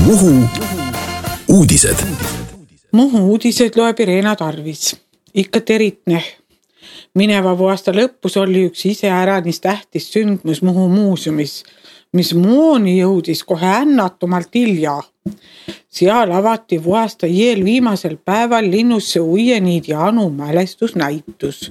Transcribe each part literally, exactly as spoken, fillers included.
Muhu uudised. Muhu uudised loeb Irena Tarvis. Ikka teritne. Mineva aasta lõpus oli üks iseäranis tähtis sündmus Muhu muuseumis, mis muuni jõudis kohe ännatumalt hilja. Seal avati vuasta jeel viimasel päeval linnusse Uieniid ja Anu mälestusnäitus.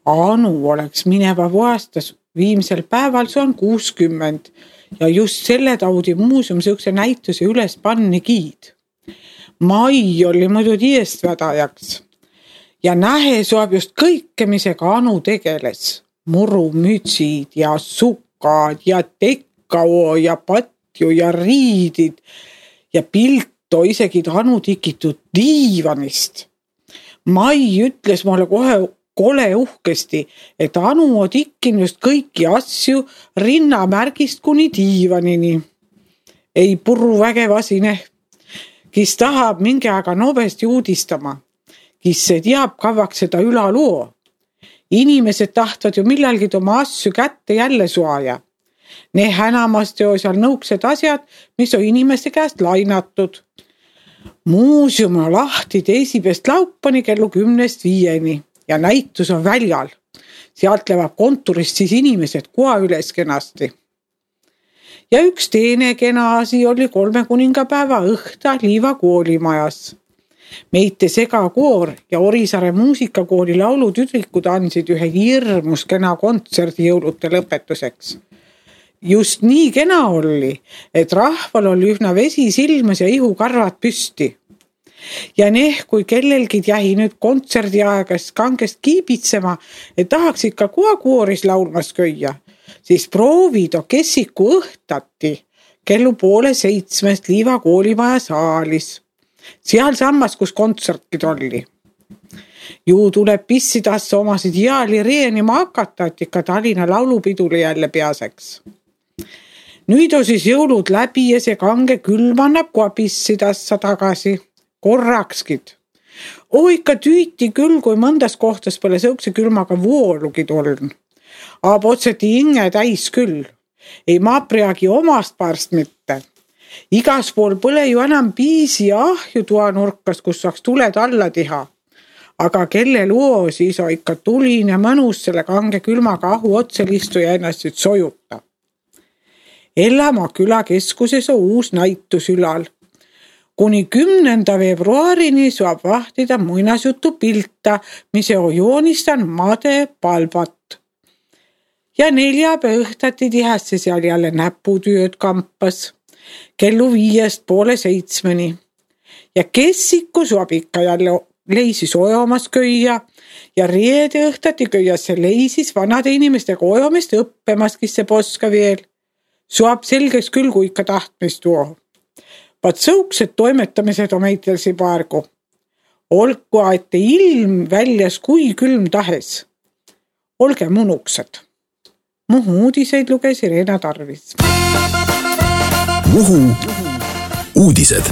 Anu oleks mineva vuastas viimsel päeval, see on kuuskümmend, ja just selle taudi muuseum sihukese näituse üles panni giid. Mai oli muidu tiestvedajaks ja nähe soab just kõike, misega Anu tegeles. Murumütsid ja sukad ja tekkao ja patju ja riidid ja pilto isegi Anu tikitud diivanist. Mai ütles mulle kohe kole uhkesti, et Anu on tikkin just kõiki asju rinnamärgist kuni diivanini. Ei purru vägevasine, kes tahab mingi aega nobesti uudistama, kes se teab kavaks seda ülaluo. Inimesed tahtvad ju millalgi oma asju kätte jälle suaja. Ne hänamast jo seal nõuksed asjad, mis on inimeste käest lainatud. Muuseum on lahti teisipest laupani kellu kümnest viieni. Ja näitus on väljal. Sealt levab konturist siis inimesed koa üles kenasti. Ja üks teine kena asi oli kolme kuningapäeva õhta Liiva koolimajas. Meite segakoor ja Orisaare muusikakooli laulutüdrikud andsid ühe hirmus kena kontserdi jõulute lõpetuseks. Just nii kena oli, et rahval oli ühna vesi silmas ja ihukarvad püsti. Ja neh, kui kellelgi jäi nüüd kontserdi aegast kangest kiibitsema, et tahaks ikka koa kooris laulmas köia, siis proovid o kessiku õhtati kellu poole seitsmest Liiva koolimaja saalis. Seal sammas, kus kontsertid oli. Ju tuleb pissidassa omasid jaali reenima hakata, et ikka Tallinna laulupidule jälle peaseks. Nüüd on siis jõulud läbi ja see kange külm annab koa pissidassa tagasi. Korrakskid. Oo ikka tüüti küll, kui mõndas kohtas pole sõukse külmaga voolugid oln. Aab otseti inge täis küll. Ei maapriagi omast parst mitte. Igas pool põle ju enam piisi ja ahju toa nurkas, kus saaks tuled alla teha. Aga kelle luo siis on ikka tulin ja mõnus selle kange külmaga ahu otselistu ja ennast nüüd sojuta. Ellamaa küla keskuses on uus näitus ülal. Kuni kümnenda veebruarini saab vahtida muinasjutu pilta, mis on joonistan Made Palvat. Ja neljapäe õhtati tihesse seal jälle näputööd kampas, kellu viiest poole seitsmeni. Ja kessiku saab ikka jälle leisis ojomas köia ja reede õhtati köiasse leisis vanade inimestega ojomist õppemas, kes see poska veel. Saab selgeks küll, kui ikka tahtmist tuo. Vaat sõuksed toimetamised on meitelsi paargu. Olgu aete ilm väljas kui külm tahes. Olge munuksed. Muhu uudiseid luges Irena Tarvis. Muhu uudised.